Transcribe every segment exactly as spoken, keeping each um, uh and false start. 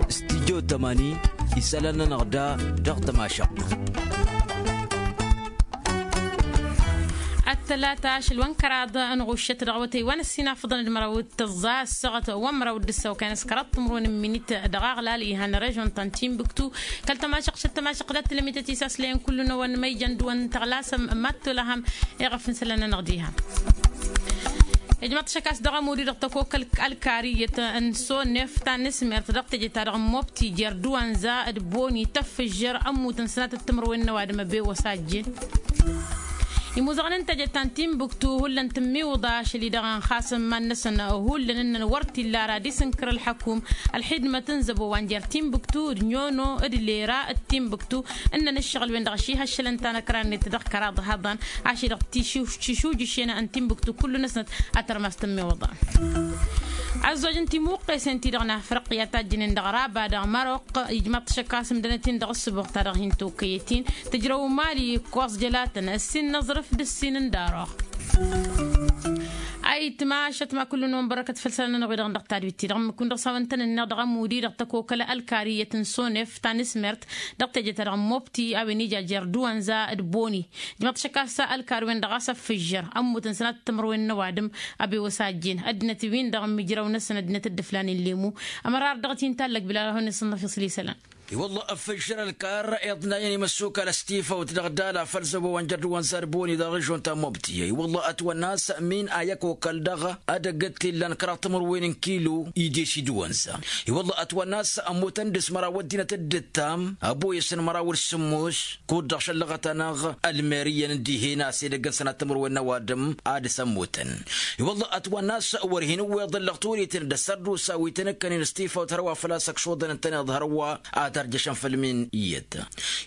Studyo tămani isălan-nănăɣ da dăɣ-tămašăɣt. Ăttălata ašăl wa n-kăraḍ n-ɣuššăt dăɣ-awătay wa n-ăssinafăḍăn d-măraw d-tăẓẓa ăssaɣăt wa n-măraw d-ǝssaw kan s-kăraḍ timǝrwen n-minit dăɣ-aɣlal ihăn režon ta n-timbuktu. Kăl-tămašăɣt šăt tămašăɣt dat-tǝlămit ătisaslen kullu-năwăn ma ijăn d-wăn tăɣlasăm mad-tolăhăm. Iɣăf n-isălan-nănăɣ diha. Ijmăḍ-t šăkkas dăɣ-amudi dăɣ-tăkokăl ălkariyyăt n-sonef ta n-asmert dăɣ-teje-ta-dăɣ n-mobti jer-dăwanza d-boni tăffǝžžăr ămmutăn sănatăt timǝrwen n-ăwadǝm ăbewăs a ăjjeen. Imuzăɣăn n-teje ta n-timbuktu hullan tǝmmiwǝḍa ašăl-i-dăɣ ănxasăn iman-năsăn hullan ǝnnăn wăr t-illa ara ad-isǝnkăr ălxăkum ălxidmăt n-zăbo wa n-jer-timbuktu d-nyono d-lera d-timbuktu ǝnnăn ǝššăɣǝl-wen dăɣ-ašihăššălăn ta n-ăkra-net dăɣ-kăraḍ hăḍan ašăl-i-dăɣ tišujǝšen n-timbuktu kullu-năsnăt a tărmas tǝmmiwǝḍa. Ăzzoj n-timuqqesen-ti-dăɣ n-afriqya tajjǝnen dăɣ-raba dăɣ-maroq ijmaḍ-t šăkkas ǝmdănăt-in dăɣ-ǝssǝboɣ-ta-dăɣ hin-tokăyăt-in tǝjrăw mali ǝkkoẓ jălatăn ǝssin n-aẓrǝf d-ǝssin n-daroɣ. Ayǝtma ašăt ma kullu-năwăn bărăkăt făll-isălan-nănăɣ-wi-dăɣ dăɣ-tadwit-ti-dăɣ ǝmmǝk-win dăɣ-s a-wen tăn-ǝnneɣ dăɣ-amudi dăɣ-tăkokăl ălkariyăt n-sonef ta n-asmert dăɣ-teje-ta-dăɣ n-mobti a-wen ija jer-dăwanza d-boni. Ǝjmăḍ-t šăkkas ălkar-wen-dăɣ a-s ăffǝžžăr ămmutăn sănatăt timǝrwen n-ăwadǝm ăbewăs a ăjjeen ăddinăt-win-dăɣ ǝmmǝjrăw-năsăn ăddinăt dd-ǝflanen lemu. Ămărar dăɣ-t hin-tallăg bilal a hawăn-isǝnnăf isălan. I-wălla ăffǝžžăr ălkar iḍnayăn imăssukal ăstifăwt dăɣ-dala făll-zăbo wa n-jer-dăwanza d-boni dăɣ-režon ta n-mobti. I-wălla ătwănna a-s min a i-ăkokăl dăɣ-edăgg t-illan kăraḍ timǝrwen n-kilo ides idǝwănza. I-wălla ătwănna a-s ămmutăn dăɣ-s măraw ăddinăt dd-ǝttam ăboyăs n-măraw d-sǝmmos kud-dăɣ šăllăɣăt-anăɣ ălmer iyyăn n-dihen a-s edăgg n-sănat timǝrwen n-ăwadǝm ad-dăɣ-s ămmutăn. I-wălla ătwănna a-s wăr hin-ǝwweḍ ǝllăɣ turiten d-ăssărdusa wi tăn-ǝkkănen s-tifawt hărwa făl-a-s ăkšuḍăn ǝntăneḍ hărwa ad-tărjăšăn făll-min iyyăt.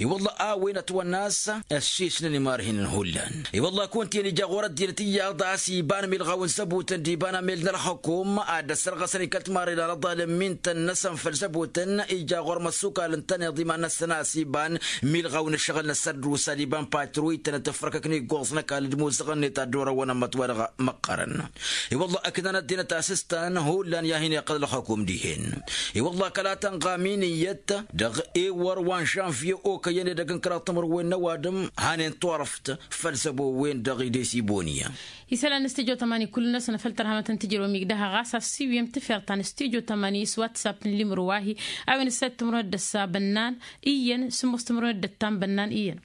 I-wălla a-wen ătwănna a-s ăssiisnăn imarhinen hullan. I-wălla kunta iyyăn ija ɣur-ăddinăt iyyăḍ a-s iba n-imilɣaw n-zăbutăn d-iba n-amel n-ălxăkum ad-dd-ăssărɣăsăn ikăl timarren anăḍal n-imintăn-năsăn făll-zăbutăn ija ɣur-imăssukal ǝntăneḍ iman-năsăn a-s iba n-imilɣaw n-ǝššăɣǝl n-ăssărdusa d-iba n-patruytăn d-tǝfrăkăk n-iggoẓ n-ăkall d-imuzăɣăn-net ad-dd-orăwăn ămmăt-wa-dăɣ măqqărăn. I-wălla ǝknăn ăddinăt a-s s-tăn hullan i-ad-hin-iqqăl ălxăkum dihen. I-wălla kăla tănɣa min iyyăt dăɣ-ewăr wa n-žănvye okăyăn edăgg n-kăraḍ timǝrwen n-ăwadǝm hanen turăft făll-zăbo-wen-dăɣ idesi bonya. Isălan n-studyo tămani kullu-năsăn făll-tărhamăt n-tijrăw migdăha ɣas a-s siwǝyăm tǝfer ta n-studyo tămani s-whatsapp n-limru wa-hi. A-wen ǝssăyăt timǝrwen d-ăssa bănnan iyyăn sǝmmos timǝrwen d-ăttan bănnan iyyăn.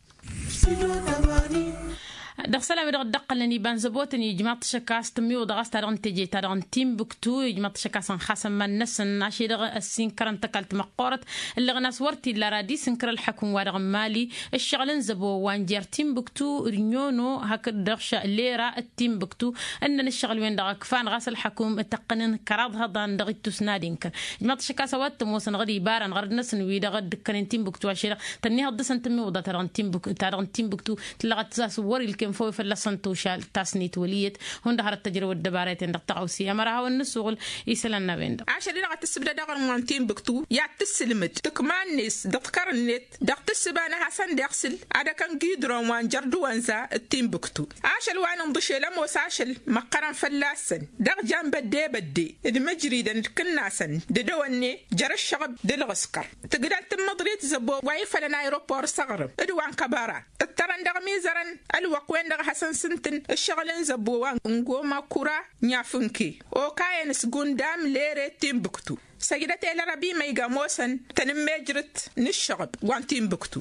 Dăɣ-isălan wi dăɣ-dd-ăqqălnen iba n-zăbotăn ijmaḍ-t šăkkas tǝmmiwǝḍa ɣas ta dăɣ-n teje ta dăɣ-n timbuktu ijmaḍ-t šăkkas ănxasăn iman-năsăn ašăl-i-dăɣ ăssinkărăn tăkalt măqqoorăt. Ǝllăɣăn a-s wăr t-illa ara ad-isǝnkăr ălxăkum-wa-dăɣ n-mali ǝššăɣǝl n-zăbo wa n-jer-timbuktu d-nyono hakd-dăɣ lera d-timbuktu ǝnnăn ǝššăɣǝl-wen-dăɣ ǝkfan ɣas ălxăkum tăqqǝnăn kăraḍ hăḍan dăɣ-ittus n-ad-inkăr. Ijmaḍ-t šăkkas a-wa t-ămoosăn ɣǝd ibarăn ɣărăd-năsăn wi-dăɣ dd-ǝkkănen timbuktu ašăl-i-dăɣ tănniihăḍ dăɣ-săn tǝmmiwǝḍa ta dăɣ-n timbuk ta dăɣ-n timbuktu. Tǝllăɣăt s-a-s wăr-ilkem făw i-fălla-săn tušal tasnit wăl' iyyăt. Hundăɣ hărăt tăjrăwăt dăbara i-ten-dăɣ tăɣawse ămăra hawăn-nǝsuɣǝl isălan n-a-wen-dăɣ. Ašăl-i-dăɣ a tǝssǝbdăd aɣrǝm wa n-timbuktu i-ad-tǝssǝlmǝd tǝkma-net dăɣ-tikăr-net dăɣ-tǝssǝba n-ad-hasăn-dd-iɣsǝl ad-ăkăn gidron wa n-jer-dăwănza d-timbuktu. Ašăl wa n-inḍǝšel ămoos ašăl măqqărăn fălla-săn dăɣ-jan bădde-bădde d-imǝjridăn d-ikǝnnasăn d-edăwănne jer-ǝššăɣǝb d-ǝlɣǝskăr. Tǝgdăl tǝmmăḍrit zăbo wa ifălăn aeropor s-aɣrǝm d-wa n-kăbăra ǝttărăn dăɣ-imizărăn ălwăqq-wen-dăɣ a hasăn-sǝntǝn ǝššăɣǝl n-zăbo wa n-goma kura n-afǝnke okayăn s-gundam lere d-timbuktu. Săjdăt i-lărăb imăyg ămoosăn tanǝmmejrǝt n-ǝššăɣǝb wa n-timbuktu.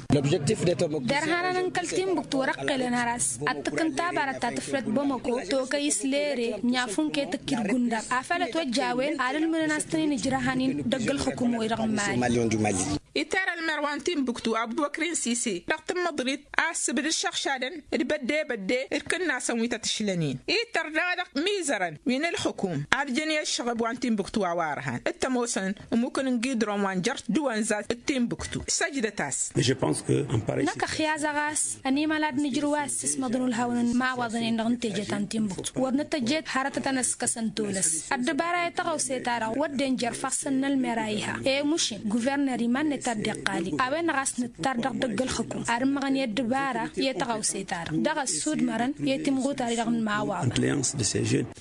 Dăr-hanăn n-kăl-timbuktu wăr-ăqqelăn har a-s ad-t-ǝkkǝn tabarăt ta tǝflăt bamăko tokăy s-lere n-afǝnke tǝkki d-gundam afăl ătwăjj a-wen ad-ǝlmǝdăn a-s tăn-in-ǝjrăhăn-in dăgg-ălxǝkum-wi-dăɣ n-mali. Iter ălmer wa n-timbuktu abubăkrin sise dăɣ-tǝmmăḍrit a ăssǝbdǝd šăɣšadăn d-bădde-bădde d-kǝnnasăn wi tăt-ǝšlăn-in. Ităr daɣ dăɣ-imizărăn wi n-ălxǝkum ad-jăn i-ăššăɣǝb wa n-timbuktu a-wa ărhan d-tămoosăn ămmukăn n-gidron wa n-jer-dăwănza d-timbuktu. Săjdăt-as. Năkk ăxyazăɣ a-s ănimăla d-nǝjrǝw a issǝsmăḍăn ulhawăn n-imawaḍăn-en-dăɣ n-teje ta n-timbuktu wăr nǝtăjjed hărătăt ănăskăsăn tolăs. Ăddăbara i-tăɣawse-ta-dăɣ wădden jer-ifassăn n-ălmer a iha i-mušin guverner iman-net a dd-iqqali a-wen-dăɣ a-s nǝttar dăɣ-dăgg-ălxǝkum ad-ǝmmăɣăn i-ăddăbara i-tăɣawse-ta-dăɣ dăɣ-ăssudmărăn i-timɣutar-i-dăɣ n-imawaḍăn.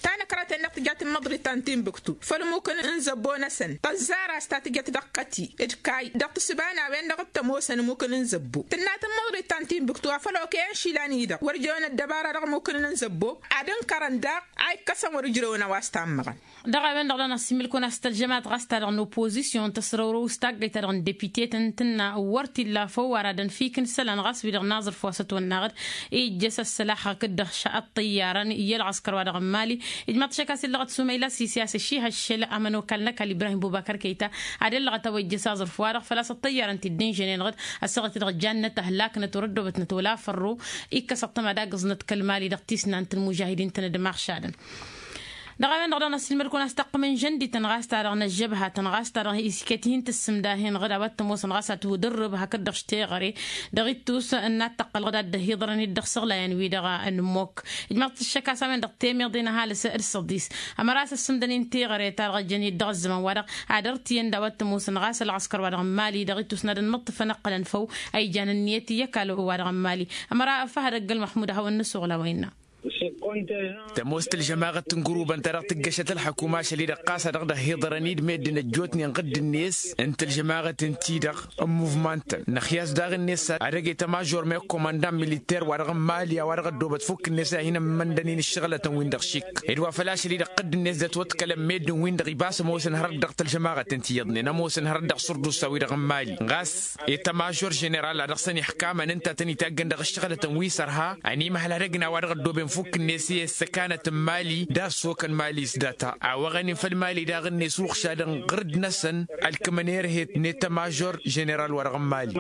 Tanăkrăt-en-dăɣ. Tǝjjat n-imǝḍrit ta n-tinbǝktu făll-imukǝn n-zăbbo-năsăn tăzzar a-s ta tǝjjăt dăɣ-kăti d-kayy dăɣ-tǝssǝba n-a-wen-dăɣ t-ămoosăn imukǝn n-zăbbo tǝnnat n-imǝḍrit ta n-tinbǝktu a făl okăyăn išilan-i-dăɣ wăr jăwăn ăddăbara dăɣ-imukǝn n-zăbbo ad-ǝnkărăn daɣ a ikkăsăn wăr-ǝjrăwăn a-wa s-tammăɣăn. Dăɣ-a-wen-dăɣ dăɣ-năssiimǝl-kăwăn a-s tălžămat ɣas ta dăɣ-nopozisyon tăsrăwrăw s-taggăyt ta dăɣ-nǝdepite-tăn tǝnna wăr t-illa făw ara dănfikǝn isălan ɣas wi-dăɣ n-aẓrǝf wa s-ătwănnaɣ-dd ijjăs ăssălax hakd-dăɣ ăṭṭăyyarăn i-ălɣăskăr wa dăɣ-n mali. Ijmaḍ-t ašăk a-s illăɣăt sumăyla sisi a-s ăšihăššăl ămănokal n-ăkall ibrahim bubăkăr kăyta ad-illăɣăt a-wa ijjăs aẓrǝf-wa-dăɣ făl-a-s ăṭṭăyyarăn ti-dd-inžănen-dăɣ ăssaɣăt-i-dăɣ janna tăhlaknăt wăr-ăddobătnăt wăla fărru. Ikkăs ăṭṭăma d-agǝẓnăt kăl-mali dăɣ-tisnant n-imužahidin-tăn d-imaɣšadăn. Dăɣ-a-wen-dăɣ dăɣ-năssiilmăd-kăwăn a-s taqqǝm n-žăndităn ɣas ta-dăɣ n-ăžžăbhatăn ɣas ta-dăɣ isket hin-tǝssǝmda hin-ɣǝd a-wa t-ămoosăn ɣas ad-tǝwǝdǝrrǝb hakd-dăɣ š-teɣăre dăɣ-ittus n-ad-tăqqălăɣ d-ad-dd-ăhiḍărăn-dd dăɣ-isăɣlayan-wi-dăɣ n-mokk. Ijmaḍ-t ăššăk a-s a-wen-dăɣ temeḍe n-ăhalǝs d-săḍis ămăra a-s ăssǝmdăn-in teɣăre ta dăɣ-ăjjăn-dd dăɣ-ăzzăman-wa-dăɣ ad-ărtǝyăn d-a-wa t-ămoosăn ɣas ălɣăskăr-wa-dăɣ n-mali dăɣ-ittus n-ad-ănmǝṭṭǝfăn ǝqqǝlăn făw a ijan ǝnniyăt i-ăkall wa-dăɣ n-mali. Ămăra ăffăhăd ăgg-ălmăḥmud ad-hawăn-nǝsuɣǝl a-wa innă. Tămoos tălžămaɣăt n-gărubăn ta dăɣ-tǝggăšăt ălḥăkuma ašăl-i-dăɣ ɣas a dăɣ-dd-ăhhiḍărăn-dd meddǝn ăjjootnen ɣǝdd-net n-tălžămaɣăt ǝnta-i-dăɣ n-muvman-tăn năxyas daɣ-net ad-ăgg-e tămažor meɣ komandan militer wa dăɣ-n mali a-wa dăɣ-ăddoobăt fukk-net i-ad-hin-ămmăndăn-in ǝššăɣǝlătăn-win-dăɣ šik. Ed wa făl-ašăl-i-dăɣ ɣǝdd-net d-ătwăḍkălăn meddǝn-win-dăɣ ibas ămoosăn hărăt dăɣ-tălžămaɣăt ǝnta iyyăḍnen ămoosăn hărăt dăɣ-surdus a-wi-dăɣ n-mali ɣas i-tămažor ženeral a dăɣ-săn iḥkamăn ǝnta a tăn-itaggăn dăɣ-ǝššăɣǝlătăn wi s-ărha ănimăhăl ad-ăgna a-wa dăɣ-ăddooben fukk-net i-ăssăkanăt n-mali d-assokăn mali s-data a wăɣăn-in făll-mali daɣ-net uɣšadăn ɣǝrǝd-năsăn. Ălkǝmăn erhet n-etămažor ženeral wa dăɣ-n mali.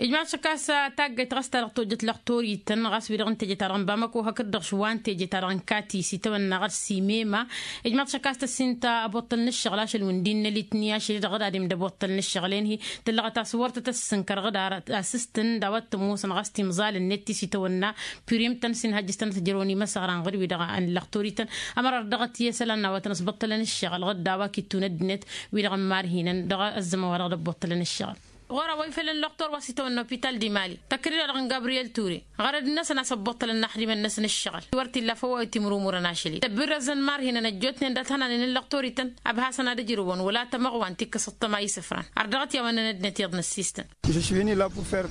Ijmaḍ-t ašăk a-s taggayt ɣas ta dăɣ-tojjăt lăxtorităn ɣas wi-dăɣ n-teje-ta-dăɣ n-bamăko hakd-dăɣ š-wa n-teje-ta-dăɣ n-kati s-itawănna ɣas simema. Ijmaḍ-t ašăk a-s tăssin-ta ăboṭṭăl n-ǝššăɣǝl ašăl wi n-dd-innă litni ašăl-i-dăɣ d-adǝm d-ăboṭṭăl n-ǝššăɣǝl-en-hi tǝllăɣăt a-s wăr tăt-ăssǝnkăr ɣǝd ar asǝstǝn d-a-wa t-ămoosăn ɣas timẓal-net ti s-itawănna pirim-tăn s-inhăjjǝs-tăn ad-t-ǝjrăwăn imăsăɣran ɣǝd-wi-dăɣ n-lăxtorităn. Ămăra ar dăɣ-t i-isălan n-a-wa tăn-ăsbăṭṭălăn ǝššăɣǝl ɣǝd d-a-wa k-ittunăddǝnet wi-dăɣ n-imarhinăn dăɣ-ăzzăman wa dăɣ-dd-ăbboṭṭălăn ǝššăɣǝl. Ɣur-a-wa ifălăn lăxtor wa s-itawănna opital di mali tăkrid-a-dăɣ n-gabriyel ture ɣărăd-năsăn a-s ăbboṭṭălăn inaxdimăn-năsăn ǝššăɣǝl wăr t-illa făw a wi timrumurăn ašăl-i tăbbirrăzăn imarhinăn ăjjootnen dat-hănanen n-lăxtorităn. Ăbhasăn ad-ǝjrǝwăn wăla tămăɣwa n-tikkăs ăṭṭăma isǝfran ar dăɣ-t i-a-wa n-nănădnet iyyăḍ n-ăssistăn.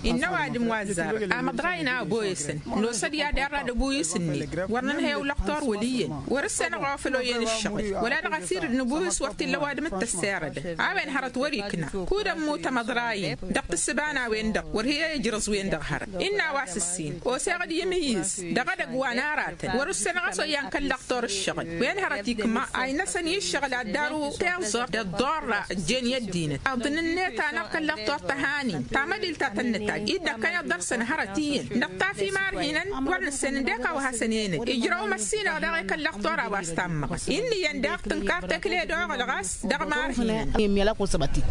Innă ăwadǝm wa ăzzarăn amăḍrayăn a ăboyăsăn nosă-d i-ad-irrad ăbuyǝs-net wăr nǝnhăy ăwlăqtor wăl' iyyăn wăr-ǝssenăɣ a ofăl oyyăn ǝššăɣǝl wăla dăɣ-asirǝd n-ăbuyǝs wăr t-illa ăwadǝm d-tăssirădăn. A-wen hărăt wăr-ikna kud-ămmut amăḍrayăn dăɣ-tǝssǝba n-a-wen-dăɣ wăr hi-ăjrăẓ-wen-dăɣ hărăt. Innă a-wa s-ǝssin oseɣ-dd i-imǝyyǝz dăɣ-edăgg wa n-aratăn wăr-ǝssenăɣ a-s oyyăn kăl-lăqtor ǝššăɣǝl wen hărăt ikma a inăsăn i-ǝššăɣǝl ad-daru tiẓẓurt d-ăḍḍorra ăjjeen i-ăddinăt aḍǝn-net-anăɣ kăl-lăqtor tăhanin tamădilt ta tăn-nǝtajj-dd ăkkăneḍ dăr-săn hărăt iyyăn dăɣ-taf imarhinăn wăr nǝssen ǝndek a-wa hasăn-enăj ijrăw măssinăɣ daɣ i-kăl-lăqtor a-wa s-tammăɣăn. Inn'-iyyăn daɣ tǝnkar tekle d-oɣăl ɣas dăɣ-imarhinăn.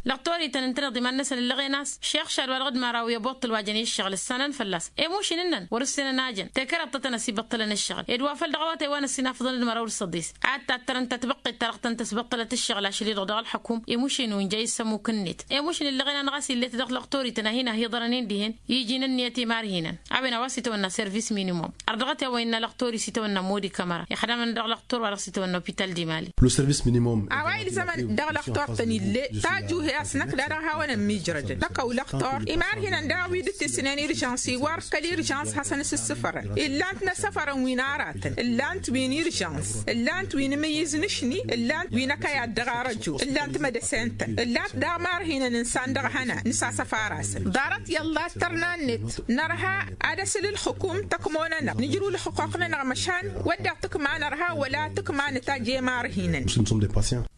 Lăqtor-ităn ǝntăneḍ iman-năsăn ǝllăɣen a-s šex šad wa dăɣ-dd-măraw i-ăboṭṭăl wa jăn i-ǝššăɣǝl ǝssanăn fălla-s i-mušin ǝnnăn wăr-ǝssenăn a jăn tekăraḍtătăn ăsibăṭṭălăn ǝššăɣǝl ed wa făl dăɣ-awătay wa n-ăssinafăḍăn d-măraw d-săḍis ad-tattărăn tatbăqqet ta dăɣ-tăn-tăsbăṭṭălăt ǝššăɣǝl ašăl-i-dăɣ dăɣ-ălxăkum. I-mušin wi n-ja issămuk-net i-mušin ǝllăɣen-anăɣ a-s illet dăɣ-lăqtor-ităn a hin-ăhiḍărăn-in dihen iji n-ǝnniyăt imarhinăn. A-wen a-wa s-itawănna servis minimum ar dăɣ-t i-a-wa innă lăqtor-i s-itawănna modi kămăra ixdamăn dăɣ-lăqtor wa dăɣ-s itawănna opital di mali. A-wa ilzămăn dăɣ-lăqtor-tăn ill'-e tajuhe a-s năkk da-dăɣ hawăn-ămmiijrădăn tăkăw lăqtor imarhinăn daɣ wi dd-tǝsnen irjăns iwar kăl-irjăns hasăn-s ǝssǝfărăn. Illan-t n-asăfărăn wi n-aratăn ǝllan-t wi n-irjăns ǝllan-t wi n-imǝyyǝz n-ašni ǝllan-t wi n-akăyad dăɣ-arăju ǝllan-t mădăsen-tăn ǝllan-t daɣ marhinăn ǝnsan dăɣ-hănan nǝsasăfar-asăn. Ḍarăt i-ăllah tărna-net nărha ad-asǝl ǝlxǝkum tăkmo-nănăɣ nǝjrǝw ǝlxǝqquq-nănăɣ măšan wădden tǝkma nărha wăla tǝkma nǝtajj i-marhinăn.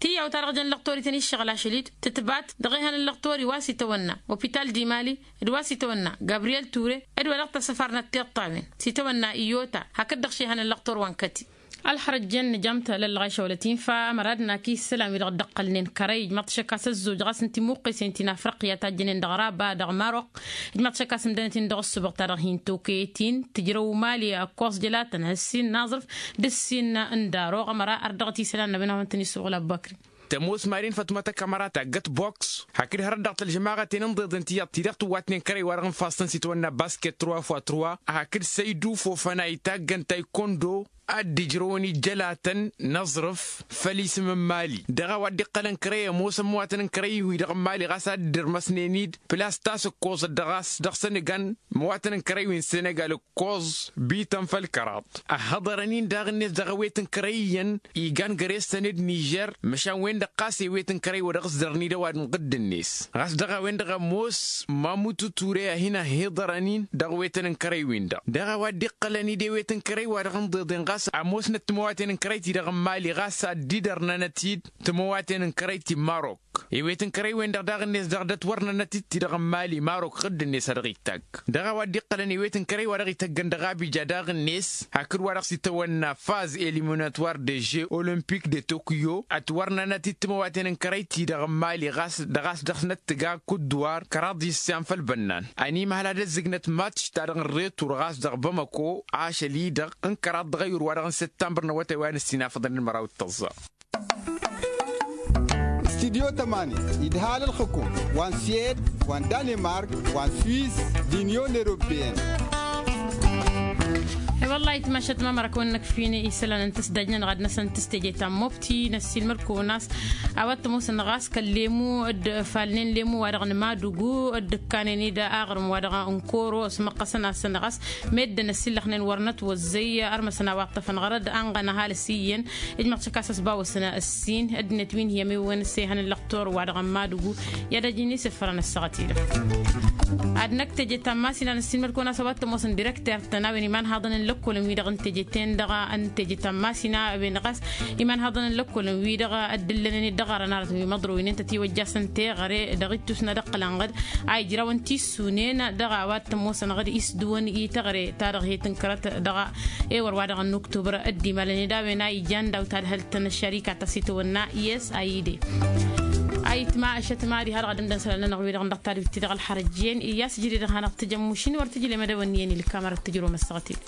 Tiyyawt-ta-dăɣ jăn lăqtor-ităn iššăɣǝl ašăl-i-dd tǝtbat dăɣ-ehăn n-lăqtor-i wa s-itawănna opital di mali d-wa s-itawănna gabriyel ture d-wa dăɣ-tăsăfarnăt tiṭṭawen s-itawănna iyota hakd-dăɣ šehăn n-lăqtor wa n-kăti. Ălxărăt jăn nǝjam talăllăɣ a išăwălăt infa ămăra ad-nak isălan wi-dăɣ dd-ăqqălnen kărăy ijmăḍ-t ašăk a-s ăzzoj ɣas n-timuqqesen ti n-afriqya ta jănen dăɣ-raba dăɣ-marok. Ijmăḍ-t ašăk a-s ǝmdănăt-in dăɣ-ǝssǝbăɣ ta dăɣ-hin-tokăyăt-in tǝjrăw mali ăkkoẓ jălatăn ăssin n-aẓrǝf d-ǝssin n-daroɣ ămăra ar dăɣ-t isălan n-a-wen a hawăn-tăn-isuɣǝl abbăkri. Tămoos mari n-fătmăt ăkămăra taggăt boks hakd hărăt dăɣ-tălžămaɣăten n-iḍeḍen tiyyăḍ ti-dăɣ tǝwwatnen kărăy-wa-dăɣ n-ifassăn s-itwănna basket trăwa fwa trăwa hakd săydu fofăna itaggăn taykondo. ad-dd-ǝjrăwăn ijjălatăn n-aẓrǝf făll-isǝm n-imali. Dăɣ-a-wa dd-iqqălăn kărăy ămoosăn imăwatăn n-kărăy-wi-dăɣ n-imali ɣas ad-dd-irmăsnen-dd pǝlas tasǝkkoẓăt dăɣ-a-s dăɣ-săn igan imăwatăn n-kărăy-wi n-senegal ǝkkoẓ bităn făll-kăraḍ. Ăhhăḍărăn-in daɣ-net dăɣ-ewet n-kărăy iyyăn igan găre-săn d-nižer măšan-wen-dăɣ ɣas ewet n-kărăy wa dăɣ-s dărăn-dd ăwadǝm ɣǝdd-net ɣas dăɣ-a-wen-dăɣ ămoos mamutu ture a hin-ăhhiḍărăn-in dăɣ-ewetăn n-kărăy-win-dăɣ. Dăɣ-a-wa dd-iqqălăn-dd ewet n-kărăy wa dăɣ-ǝnḍeḍen ɣas ămoosnăt timăwaten n-kărăy-ti-dăɣ n-imali ɣas ad-dd-irnănăt-dd timăwaten n-kărăy ti marok. Ewet n-kărăy-wen-dăɣ daɣ-net dăɣ-dd-ătwărnănăt-dd ti-dăɣ n-imali marok ɣǝdd-net a dăɣ-itagg. Dăɣ-a-wa dd-iqqălăn ewet n-kărăy wa dăɣ-ităggăn dăɣ-abija daɣ-net hakd wa dăɣ-s itawănna faz eliminatwar de jeux olimpik de tokyo ătwărnănăt-dd timăwaten n-kărăy-ti-dăɣ n-imali ɣas dăɣ-a-s dăɣ-snăt tǝga kudduwar kăraḍ iss i-anfăl bănnan. Ănimăhăl ad-ăzzǝgnăt matš-ta-dăɣ n-retur ɣas dăɣ-bamăko ašăl-i-dăɣ n-kăraḍ dăɣ-ayǝr wa dăɣ-n săttămbăr n-awătay wa n-ǝssin afăḍăn n-măraw d-tăẓẓa. Studyo tămani idhal ǝlxǝkum wa n-swed wa n-danemark wa n-swis d-inyon europeyăn. I-wăllah itmašat mamăra kăwăn-năkf fin-i isălan n-tăsdajnăn ɣad-năsăn tăsteje ta n-mobti năssiilmăd-kăwăn a-s a-wa t-ămoosăn ɣas kăl-lemu d-falnen lemu wa dăɣ-nǝmadugu d-ǝkkanen-dd aɣrǝm wa dăɣ-n koro s-măqqăsăn-asăn ɣas meddǝn ăsillăxnen wăr nătwăzzăy ărmăsăn a-wa ǝṭṭăfăn ɣărăd anɣăn ăhalǝs iyyăn. Ijmăɣ tikas ăsbawăsăn ǝssin ăddinăt wi n-hi-ămewwen s-ehăn ǝllăɣ tor-wa-dăɣ n-madugu i-ad-ăjǝn isǝffărăn ăssaɣăt-i-dăɣ. Ad-năkk teje ta n-masina năssiilmăd-kăwăn a-s a-wa t-ămoosăn direkter-tăn a-wen imanhaḍăn n-lăkkolăn-wi-dăɣ n-teje-ten-dăɣ n-teje ta n-masina a-wen ɣas imanhaḍăn n-lăkkolăn-wi-dăɣ ăddǝllănen-dd dăɣ-arăn arătăn wi măḍrăwnen tătiwăjjasăn teɣăre dăɣ-ittus n-ad-ăqqǝlăn ɣǝd a ijrawăn tissunen dăɣ-a-wa t-ămoosăn ɣǝd isdǝwăn i-teɣăre ta dăɣ-he tǝnkărăt dăɣ-ewăr wa dăɣ-n uktubăr dd-imalăn-dd a-wen a ijan daw-tadhălt n-ăššărika ta s-itawănna i-s a ide. Ayǝtma ăššătma diha-dăɣ ad-ǝmdăn isălan-nănăɣ-wi-dăɣ n-dăɣ tadǝwt-ti-dăɣ ălxărăjjen iyyas ǝjrǝy-dăɣ hanăɣ-tǝjămmušin wăr tǝjǝlem ad-ăwănniyăn ilkam arăt tǝjrǝwăm ăssaɣăt-in.